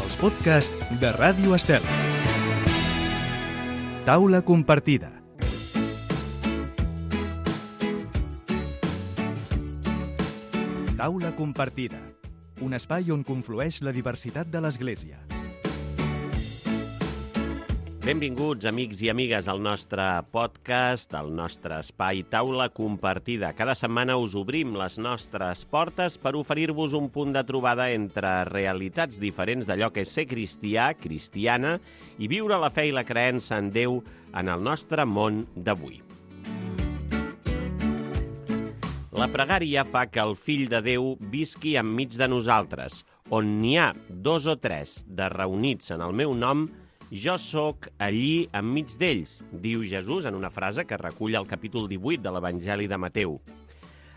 Els podcasts de Ràdio Estel. Taula compartida. Taula compartida. Un espai on conflueix la diversitat de l'Església. Benvinguts, amics i amigues, al nostre podcast, al nostre espai Taula Compartida. Cada setmana us obrim les nostres portes per oferir-vos un punt de trobada entre realitats diferents d'allò que és ser cristià, cristiana, i viure la fe i la creença en Déu en el nostre món d'avui. La pregària fa que el Fill de Déu visqui enmig de nosaltres. On n'hi ha 2 o 3 de reunits en el meu nom, jo sóc allí enmig d'ells, diu Jesús en una frase que recull el capítol 18 de l'Evangeli de Mateu.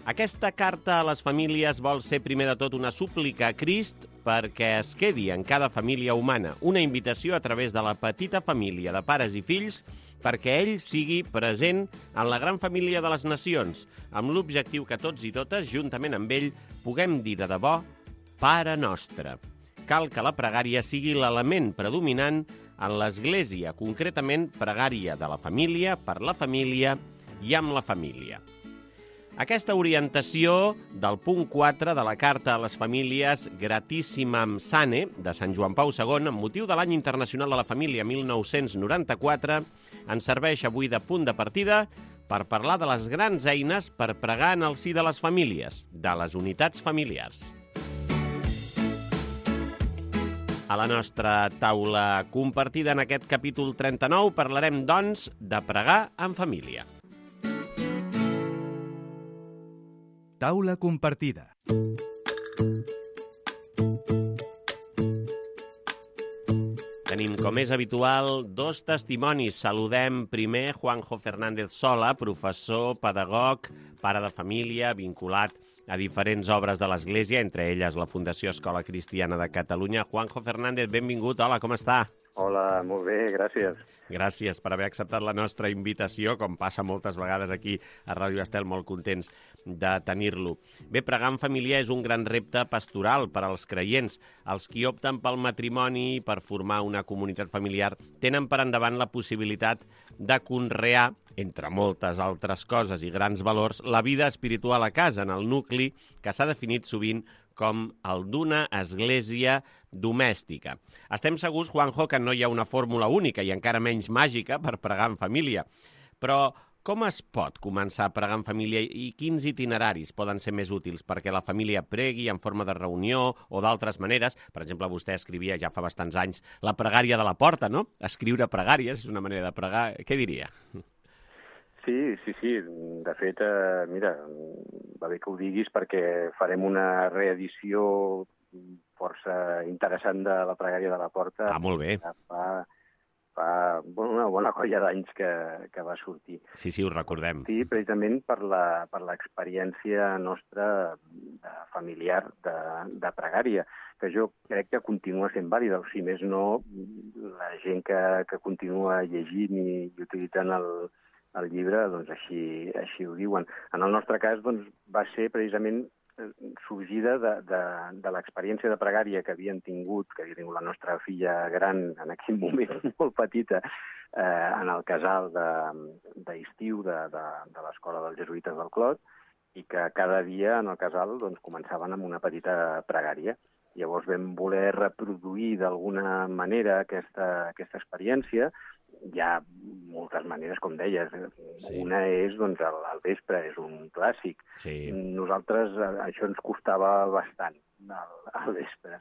Aquesta carta a les famílies vol ser primer de tot una súplica a Crist perquè es quedi en cada família humana, una invitació a través de la petita família de pares i fills perquè ell sigui present en la gran família de les nacions, amb l'objectiu que tots i totes, juntament amb ell, puguem dir de debò Pare Nostre. Cal que la pregària sigui l'element predominant en l'Església, concretament pregària de la família, per la família i amb la família. Aquesta orientació del punt 4 de la Carta a les Famílies Gratissimam Sane de Sant Joan Pau II, amb motiu de l'Any Internacional de la Família 1994, ens serveix avui de punt de partida per parlar de les grans eines per pregar en el si de les famílies, de les unitats familiars. A la nostra taula compartida en aquest capítol 39 parlarem, doncs, de pregar en família. Taula compartida. Tenim, com és habitual, 2 testimonis. Saludem primer Juanjo Fernández Sola, professor, pedagog, pare de família, vinculat a diferents obres de l'Església, entre elles la Fundació Escola Cristiana de Catalunya. Juanjo Fernández, benvingut. Hola, com està? Hola, molt bé, gràcies. Gràcies per haver acceptat la nostra invitació, com passa moltes vegades aquí a Ràdio Estel, molt contents de tenir-lo. Bé, pregar en família és un gran repte pastoral per als creients. Els qui opten pel matrimoni, per formar una comunitat familiar, tenen per endavant la possibilitat de conrear, entre moltes altres coses i grans valors, la vida espiritual a casa, en el nucli que s'ha definit sovint com el d'una església domèstica. Estem segurs, Juanjo, que no hi ha una fórmula única i encara menys màgica per pregar en família. Però com es pot començar a pregar en família i quins itineraris poden ser més útils perquè la família pregui en forma de reunió o d'altres maneres? Per exemple, vostè escrivia ja fa bastants anys la pregària de la porta, no? Escriure pregàries és una manera de pregar. Què diria? Sí. De fet, mira, va bé que ho diguis perquè farem una reedició força interessant de la pregària de la porta. Molt bé. Fa una bona colla d'anys que va sortir. Sí, ho recordem. Sí, precisament per l'experiència nostra familiar de pregària, que jo crec que continua sent vàlida. O si més no, la gent que continua llegint i utilitzant el llibre, doncs així ho diuen. En el nostre cas, doncs, va ser precisament sorgida de l'experiència de pregària que havia tingut la nostra filla gran en aquell moment molt petita en el casal d'estiu de l'escola dels jesuïtes del Clot, i que cada dia en el casal doncs, començaven amb una petita pregària. Llavors vam voler reproduir d'alguna manera aquesta experiència. Hi ha moltes maneres, com deies. Sí. Una és, doncs, al vespre, és un clàssic. Sí. Nosaltres, això ens costava bastant, al vespre.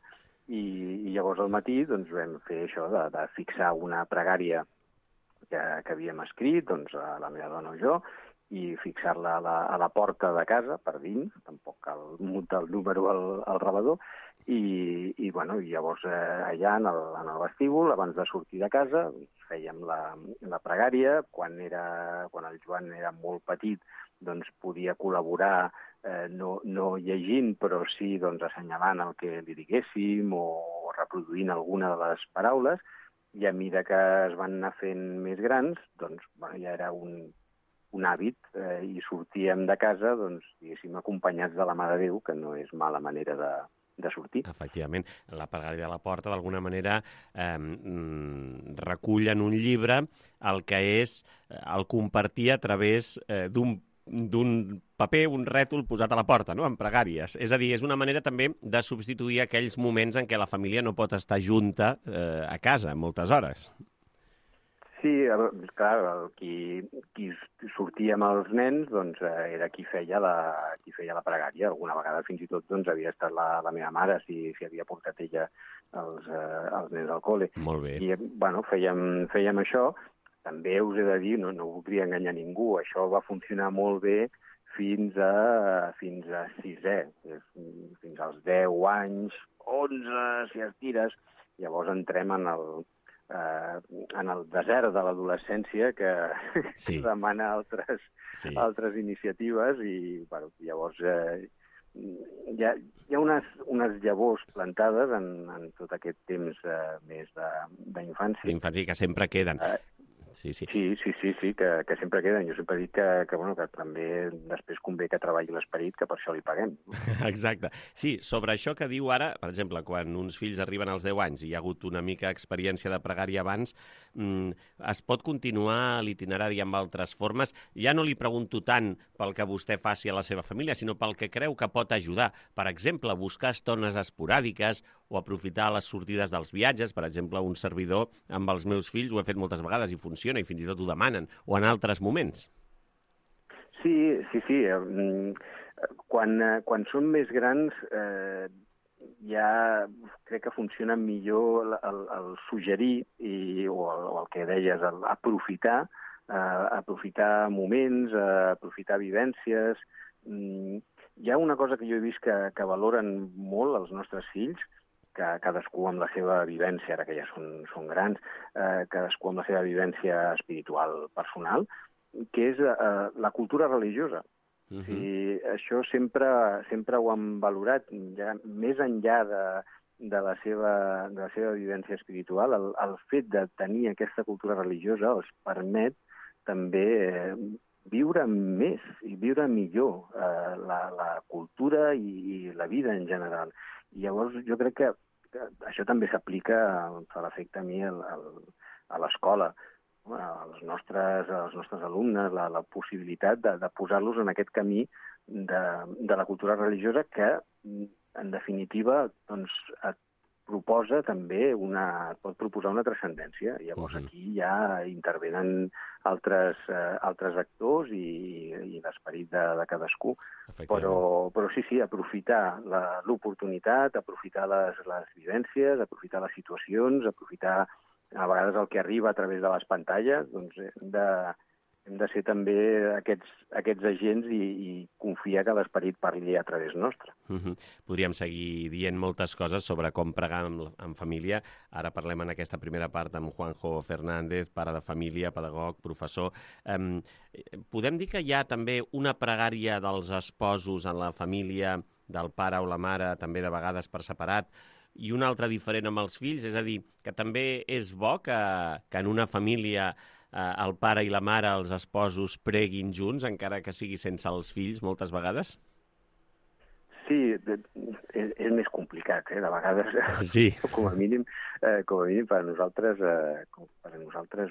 I llavors al matí doncs, vam fer això de fixar una pregària que havíem escrit, doncs, la meva dona o jo, i fixar-la a la porta de casa, per dins, tampoc cal mutar el número al rebedor, i llavors allà en el vestíbul, abans de sortir de casa, fèiem la pregària. Quan el Joan era molt petit, doncs podia col·laborar no llegint, però sí doncs, assenyalant el que li diguéssim o reproduint alguna de les paraules, i a mesura que es van anar fent més grans, doncs ja era un hàbit i sortíem de casa, doncs, diguéssim, acompanyats de la Mare de Déu, que no és mala manera sortir. Efectivament, la pregària de la porta d'alguna manera recull en un llibre el que és el compartir a través d'un paper, un rètol posat a la porta, no?, en pregàries. És a dir, és una manera també de substituir aquells moments en què la família no pot estar junta a casa moltes hores. Sí, clar, qui sortia amb els nens doncs, era qui feia la pregària. Alguna vegada fins i tot doncs, havia estat la meva mare, si havia portat ella els nens al col·le. Molt bé. I bueno, fèiem això. També us he de dir, no voldria enganyar ningú, això va funcionar molt bé fins a sisè, fins als 10 anys, 11, si estires. Llavors entrem en el desert de l'adolescència que demana altres iniciatives i bueno, llavors hi ha unes llavors plantades en tot aquest temps més d'infància. D'infància que sempre queden. Sí, que sempre queden. Jo sempre dic que també després convé que treballi l'esperit, que per això li paguem. Exacte. Sí, sobre això que diu ara, per exemple, quan uns fills arriben als 10 anys i hi ha hagut una mica experiència de pregària abans, es pot continuar l'itinerari amb altres formes? Ja no li pregunto tant pel que vostè faci a la seva família, sinó pel que creu que pot ajudar. Per exemple, buscar estones esporàdiques o aprofitar les sortides dels viatges. Per exemple, un servidor amb els meus fills ho he fet moltes vegades i funciona, i fins i tot ho demanen, o en altres moments. Sí. Quan són més grans ja crec que funciona millor el suggerir o el que deies, aprofitar moments, aprofitar vivències. Hi ha una cosa que jo he vist que valoren molt els nostres fills, que cadascú amb la seva vivència, ara que ja són grans, cadascú amb la seva vivència espiritual personal, que és la cultura religiosa. I això sempre ho han valorat, ja, més enllà de la seva vivència espiritual. El fet de tenir aquesta cultura religiosa els permet també viure més i viure millor la cultura i la vida en general. I llavors jo crec que això també s'aplica, em fa l'efecte a mi, a l'escola, als nostres alumnes, la possibilitat de posar-los en aquest camí de la cultura religiosa que, en definitiva, doncs, et pot proposar una transcendència. Llavors aquí ja intervenen altres actors i l'esperit de cadascú. Però sí, aprofitar l'oportunitat, aprofitar les vivències, aprofitar les situacions, aprofitar a vegades el que arriba a través de les pantalles, doncs hem de ser també aquests agents i confiar que l'esperit parli a través nostre. Podríem seguir dient moltes coses sobre com pregar en família. Ara parlem en aquesta primera part amb Juanjo Fernández, pare de família, pedagog, professor. Podem dir que hi ha també una pregària dels esposos en la família, del pare o la mare, també de vegades per separat, i una altra diferent amb els fills? És a dir, que també és bo que en una família el pare i la mare, els esposos, preguin junts, encara que sigui sense els fills, moltes vegades? Sí, és més complicat, de vegades. Sí. Com a mínim per a nosaltres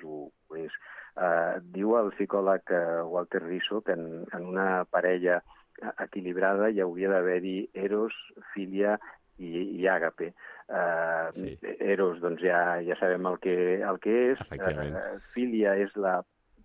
ho és. Diu el psicòleg Walter Rizzo que en una parella equilibrada hi hauria d'haver-hi eros, filia i àgape. Eros, doncs ja sabem el que és. Filia és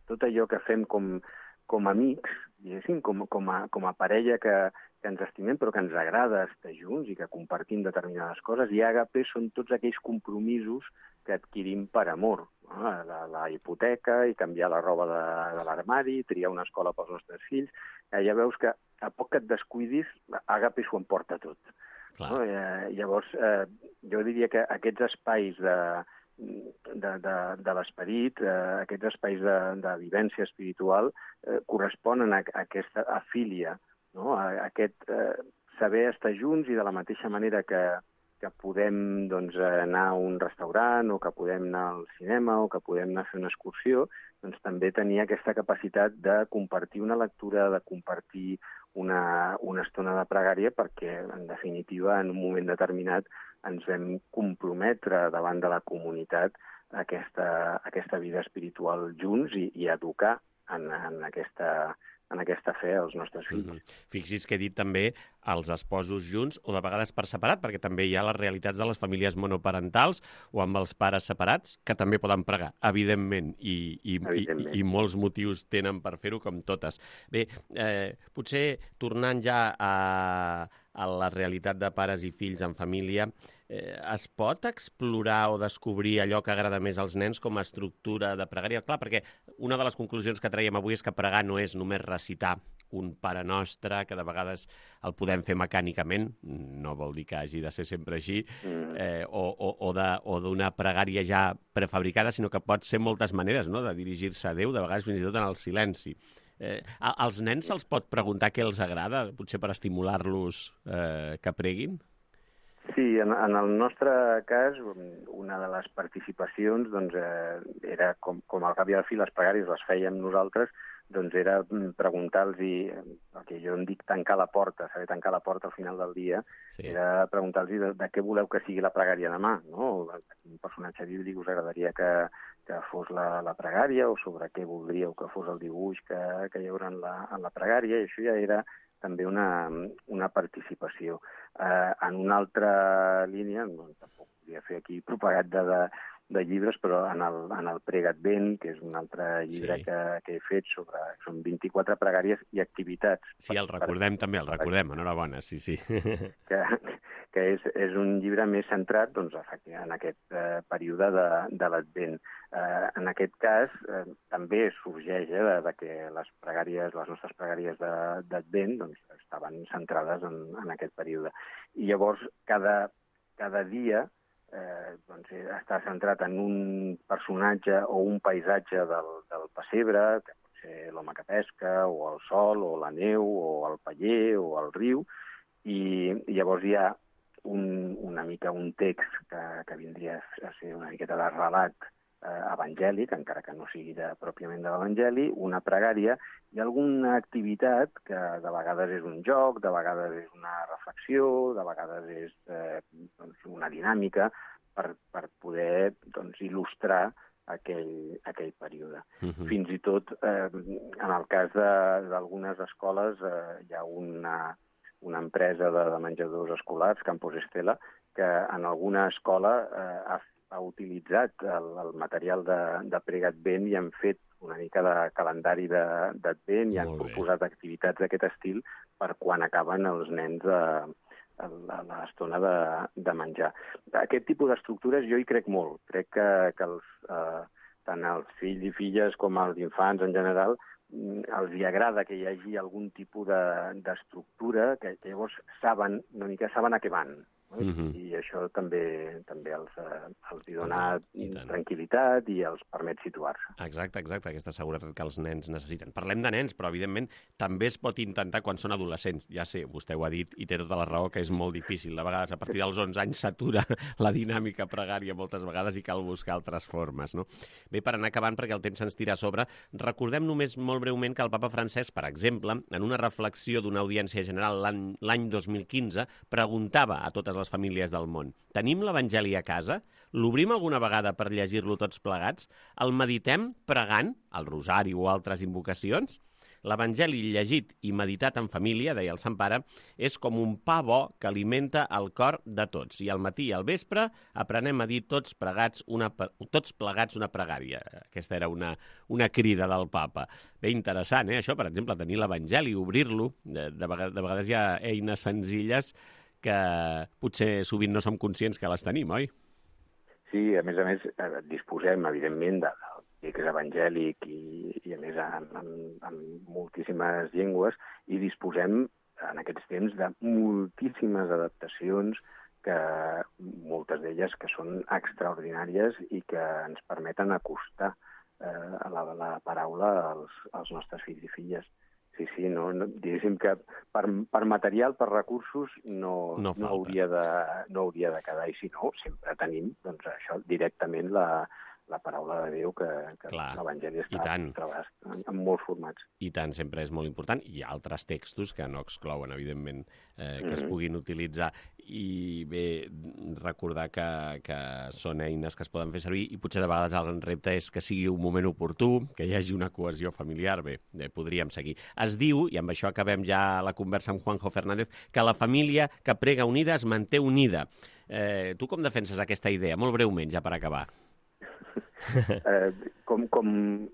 tot allò que fem com amics, diguéssim, com a parella que ens estimem però que ens agrada estar junts i que compartim determinades coses. I àgape són tots aquells compromisos que adquirim per amor. La hipoteca i canviar la roba de l'armari, triar una escola pels nostres fills. Ja veus que a poc que et descuidis, àgape s'ho emporta tot. No? Llavors, jo diria que aquests espais de l'esperit, aquests espais de vivència espiritual, corresponen a aquesta afília, no? A aquest saber estar junts i de la mateixa manera que podem anar a un restaurant o que podem anar al cinema o que podem anar a fer una excursió, doncs també tenir aquesta capacitat de compartir una lectura, de compartir una estona de pregària perquè, en definitiva, en un moment determinat ens vam comprometre davant de la comunitat a aquesta vida espiritual junts i educar en aquesta fe als nostres fills. Fixi's que he dit també els esposos junts o de vegades per separat, perquè també hi ha les realitats de les famílies monoparentals o amb els pares separats, que també poden pregar, evidentment, i molts motius tenen per fer-ho, com totes. Bé, potser tornant ja a la realitat de pares i fills en família, es pot explorar o descobrir allò que agrada més als nens com a estructura de pregària? Clar, perquè una de les conclusions que traiem avui és que pregar no és només recitar un Pare Nostre, que de vegades el podem fer mecànicament, no vol dir que hagi de ser sempre així, o d'una pregària ja prefabricada, sinó que pot ser moltes maneres, no?, de dirigir-se a Déu, de vegades fins i tot en el silenci. Als nens se'ls pot preguntar què els agrada, potser per estimular-los que preguin? Sí, en el nostre cas, una de les participacions era, com al cap i al fi les pregàries les fèiem nosaltres, era preguntar-los, perquè jo em dic tancar la porta, saber tancar la porta al final del dia, era preguntar-los de què voleu que sigui la pregària demà, no? Un personatge bíblic us agradaria que fos la pregària, o sobre què voldríeu que fos el dibuix que hi haurà en la pregària, i això ja era també una participació. En una altra línia, tampoc podria fer aquí propagat de llibres, però en el Prega Advent, que és un altre llibre que he fet són 24 pregàries i activitats. Sí, el recordem també, enhorabona, sí. Que és un llibre més centrat en aquest període de l'Advent. En aquest cas, també sorgeix que les nostres pregàries d'Advent estaven centrades en aquest període. I llavors, cada dia està centrat en un personatge o un paisatge del pessebre, que pot ser l'home que pesca, o el sol, o la neu, o el paller, o el riu, i llavors hi ha una mica un text que vindria a ser una miqueta de relat evangèlic, encara que no sigui pròpiament de l'Evangeli, una pregària i alguna activitat que de vegades és un joc, de vegades és una reflexió, de vegades és una dinàmica per poder il·lustrar aquell període. Fins i tot, en el cas d'algunes escoles, hi ha una empresa de menjadors escolars, Campos Estela, que en alguna escola ha utilitzat el material de Prega Advent i han fet una mica de calendari d'Advent i han proposat activitats d'aquest estil per quan acaben els nens a l'estona de menjar. Aquest tipus d'estructures jo hi crec molt. Crec que tant els fills i filles com els infants en general els hi agrada que hi hagi algun tipus d'estructura que llavors saben a què van. I això també els dona tranquil·litat i els permet situar-se. Exacte, aquesta seguretat que els nens necessiten. Parlem de nens, però evidentment també es pot intentar quan són adolescents. Ja sé, vostè ho ha dit i té tota la raó que és molt difícil. De vegades, a partir dels 11 anys s'atura la dinàmica pregària moltes vegades i cal buscar altres formes, no? Bé, per anar acabant, perquè el temps se'ns tira a sobre, recordem només molt breument que el papa Francesc, per exemple, en una reflexió d'una audiència general l'any 2015, preguntava a totes les famílies del món: tenim l'Evangeli a casa? L'obrim alguna vegada per llegir-lo tots plegats? El meditem pregant, el rosari o altres invocacions? L'Evangeli llegit i meditat en família, deia el Sant Pare, és com un pa bo que alimenta el cor de tots. I al matí i al vespre aprenem a dir tots plegats una pregària. Aquesta era una crida del papa. Bé, interessant, això, per exemple, tenir l'Evangeli, obrir-lo. De vegades hi ha eines senzilles que potser sovint no som conscients que les tenim, oi? Sí, a més, disposem, evidentment, del text evangèlic i a més, en moltíssimes llengües, i disposem, en aquests temps, de moltíssimes adaptacions, que moltes d'elles que són extraordinàries i que ens permeten acostar la paraula als nostres fills i filles. Sí, diguéssim que per material, per recursos, no hauria de quedar. I si no, sempre tenim això directament la paraula de Déu, que l'Evangeli està treballat en molts formats. I tant, sempre és molt important. Hi ha altres textos que no exclouen, evidentment, que es puguin utilitzar. I bé, recordar que són eines que es poden fer servir i potser de vegades el repte és que sigui un moment oportú, que hi hagi una cohesió familiar. Bé, podríem seguir. Es diu, i amb això acabem ja la conversa amb Juanjo Fernández, que la família que prega unida es manté unida. Tu com defenses aquesta idea? Molt breument, ja per acabar.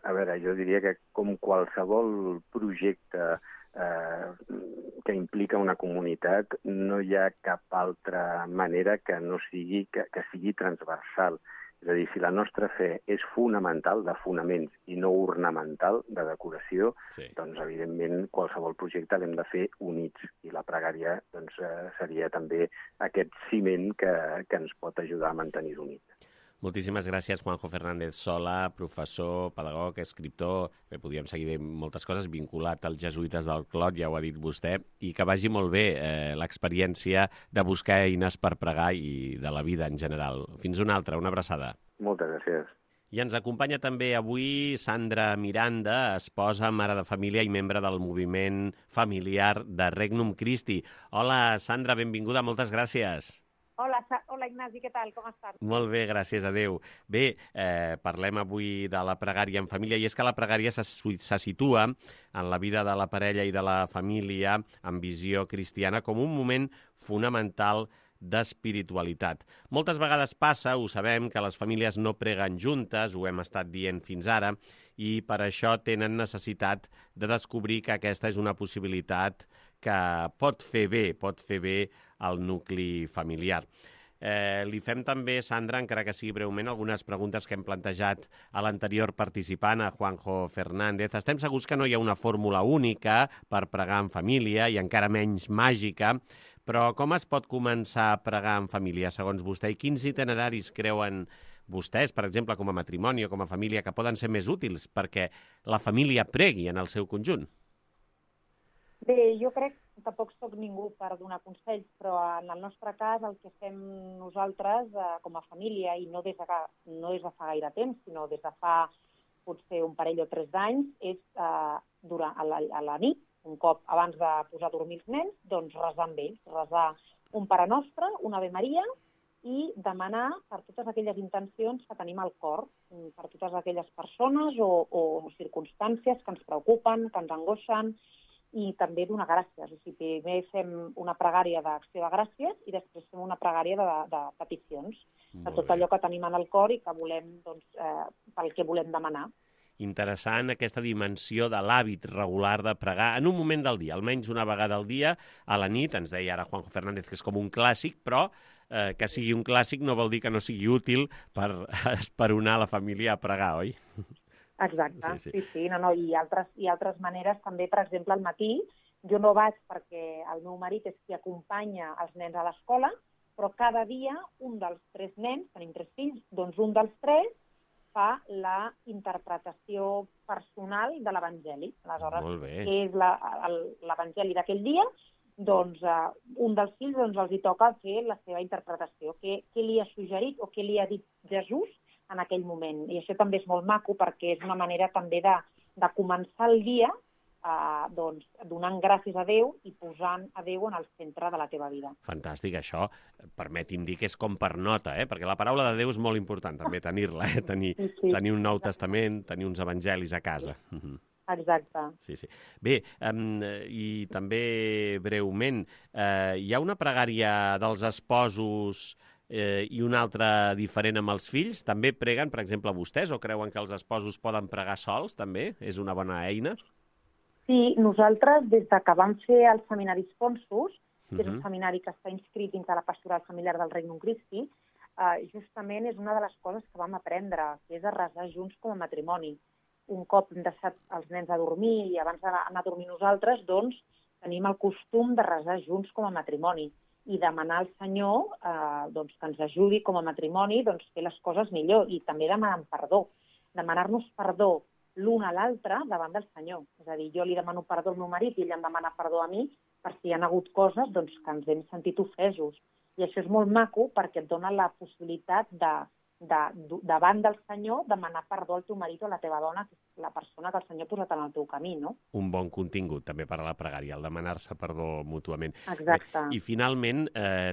A veure, jo diria que com qualsevol projecte que implica una comunitat, no hi ha cap altra manera que no sigui que sigui transversal. És a dir, si la nostra fe és fonamental, de fonaments, i no ornamental, de decoració, doncs, evidentment, qualsevol projecte l'hem de fer units. I la pregària doncs, seria també aquest ciment que ens pot ajudar a mantenir-ho unit. Moltíssimes gràcies, Juanjo Fernández Sola, professor, pedagog, escriptor. Bé, podríem seguir moltes coses, vinculat als jesuïtes del Clot, ja ho ha dit vostè, i que vagi molt bé l'experiència de buscar eines per pregar i de la vida en general. Fins una altra, una abraçada. Moltes gràcies. I ens acompanya també avui Sandra Miranda, esposa, mare de família i membre del moviment familiar de Regnum Christi. Hola, Sandra, benvinguda, moltes gràcies. Hola Ignasi, què tal? Com estàs? Molt bé, gràcies a Déu. Bé, parlem avui de la pregària en família, i és que la pregària se situa en la vida de la parella i de la família amb visió cristiana com un moment fonamental d'espiritualitat. Moltes vegades passa, ho sabem, que les famílies no preguen juntes, ho hem estat dient fins ara, i per això tenen necessitat de descobrir que aquesta és una possibilitat que pot fer bé al nucli familiar. Li fem també, Sandra, encara que sigui breument, algunes preguntes que hem plantejat a l'anterior participant, a Juanjo Fernández. Estem segurs que no hi ha una fórmula única per pregar en família i encara menys màgica, però com es pot començar a pregar en família, segons vostè? I quins itineraris creuen vostès, per exemple, com a matrimoni o com a família, que poden ser més útils perquè la família pregui en el seu conjunt? Bé, jo crec que tampoc soc ningú per donar consells, però en el nostre cas el que fem nosaltres com a família, i no des de fa gaire temps, sinó des de fa potser un parell o 3 anys, és a la nit, un cop abans de posar a dormir els nens, doncs resar amb ells, resar un Pare Nostre, una Ave Maria, i demanar per totes aquelles intencions que tenim al cor, per totes aquelles persones o circumstàncies que ens preocupen, que ens angoixen, i també donar gràcies. O sigui, primer fem una pregària d'acció de gràcies i després fem una pregària de peticions, de tot allò que tenim en el cor i que volem, doncs, pel que volem demanar. Interessant aquesta dimensió de l'hàbit regular de pregar en un moment del dia, almenys una vegada al dia, a la nit. Ens deia ara Juanjo Fernández que és com un clàssic, però que sigui un clàssic no vol dir que no sigui útil per esperonar la família a pregar, oi? Exacte, sí. No, i altres maneres també, per exemple, al matí, jo no vaig perquè el meu marit és qui acompanya els nens a l'escola, però cada dia un dels 3 nens, tenim 3 fills, doncs un dels 3 fa la interpretació personal de l'Evangeli. Aleshores, què és l'Evangeli d'aquell dia? Doncs un dels fills els hi toca fer la seva interpretació. Què li ha suggerit o què li ha dit Jesús en aquell moment. I això també és molt maco perquè és una manera també de començar el dia doncs, donant gràcies a Déu i posant a Déu en el centre de la teva vida. Fantàstic, això, permeti'm dir que és com per nota, perquè la paraula de Déu és molt important també tenir-la, tenir un Nou Testament, tenir uns evangelis a casa. Exacte. Sí. Bé, i també breument, hi ha una pregària dels esposos i una altra diferent amb els fills? També preguen, per exemple, vostès, o creuen que els esposos poden pregar sols, també? És una bona eina? Sí, nosaltres, des que vam fer el seminari Sponsus, que és un seminari que està inscrit dins de la pastoral familiar del Regnum Christi, justament és una de les coses que vam aprendre, que és a resar junts com a matrimoni. Un cop hem deixat els nens a dormir i abans d'anar a dormir nosaltres, doncs tenim el costum de resar junts com a matrimoni i demanar al Senyor que ens ajudi com a matrimoni a fer les coses millor i també demanar perdó. Demanar-nos perdó l'un a l'altre davant del Senyor. És a dir, jo li demano perdó al meu marit i ell em demana perdó a mi per si hi ha hagut coses que ens hem sentit ofesos. I això és molt maco perquè et dona la possibilitat davant del Senyor, demanar perdó al teu marit o a la teva dona, que és la persona que el Senyor ha posat en el teu camí, no? Un bon contingut també per a la pregària, el demanar-se perdó mútuament. Exacte. I finalment,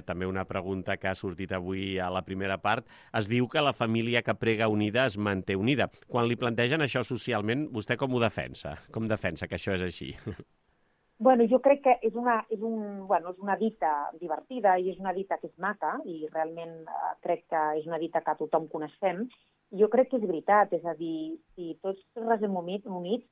també una pregunta que ha sortit avui a la primera part, es diu que la família que prega unida es manté unida. Quan li plantegen això socialment, vostè com ho defensa? Com defensa que això és així? Bueno, jo crec que és una dita divertida i és una dita que és maca i realment crec que és una dita que tothom coneixem. Jo crec que és veritat, és a dir, si tots resem units,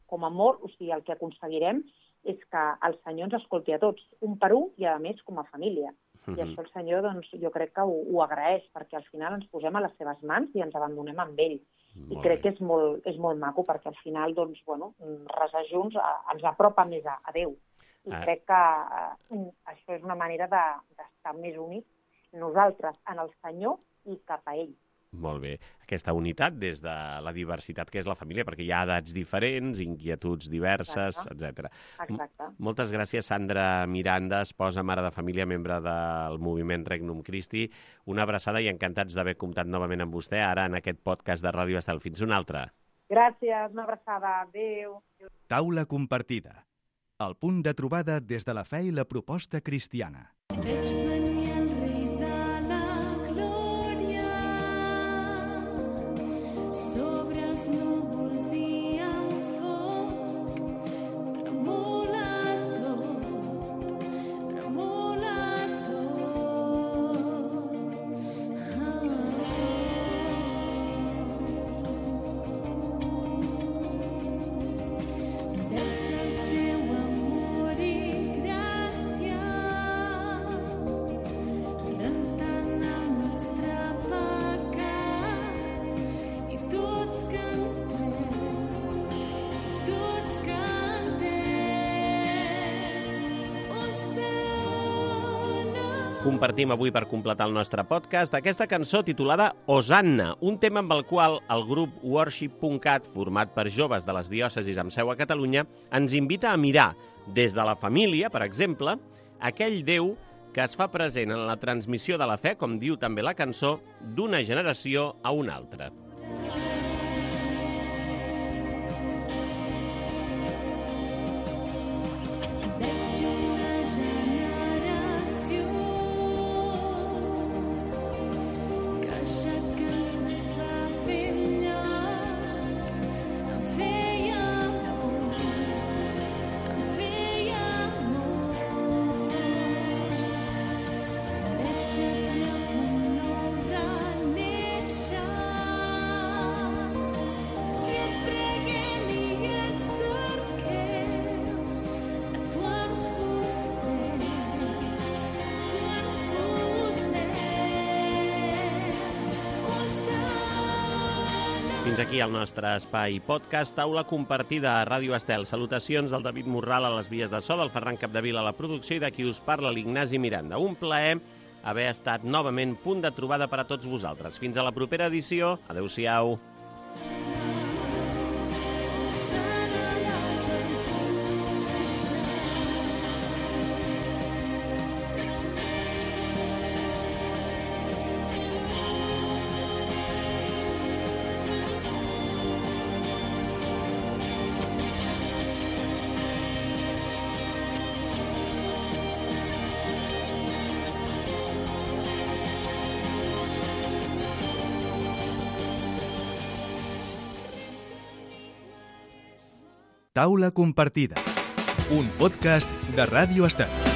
com a amor, o sigui, el que aconseguirem és que el Senyor ens escolti a tots, un per un i, a més, com a família. I això el Senyor, doncs, jo crec que ho agraeix, perquè al final ens posem a les seves mans i ens abandonem amb ell. I crec que és molt maco, perquè al final, doncs, bueno, resar junts ens apropa més a Déu. I crec que això és una manera d'estar més units nosaltres en el Senyor i cap a ell. Molt bé. Aquesta unitat des de la diversitat que és la família, perquè hi ha edats diferents, inquietuds diverses, etc. Exacte. Moltes gràcies, Sandra Miranda, esposa, mare de família, membre del moviment Regnum Christi. Una abraçada i encantats d'haver comptat novament amb vostè ara en aquest podcast de Ràdio Estel. Fins una altra. Gràcies, una abraçada. Adéu. Taula compartida. El punt de trobada des de la fe i la proposta cristiana. Compartim avui per completar el nostre podcast aquesta cançó titulada Hosanna, un tema amb el qual el grup Worship.cat, format per joves de les diòcesis amb seu a Catalunya, ens invita a mirar, des de la família, per exemple, aquell Déu que es fa present en la transmissió de la fe, com diu també la cançó, d'una generació a una altra. Fins aquí el nostre espai podcast, taula compartida a Ràdio Estel. Salutacions del David Morral a les vies de so, del Ferran Capdevila a la producció i de qui us parla, l'Ignasi Miranda. Un plaer haver estat novament punt de trobada per a tots vosaltres. Fins a la propera edició. Adéu-siau. Taula compartida. Un podcast de Ràdio Estel.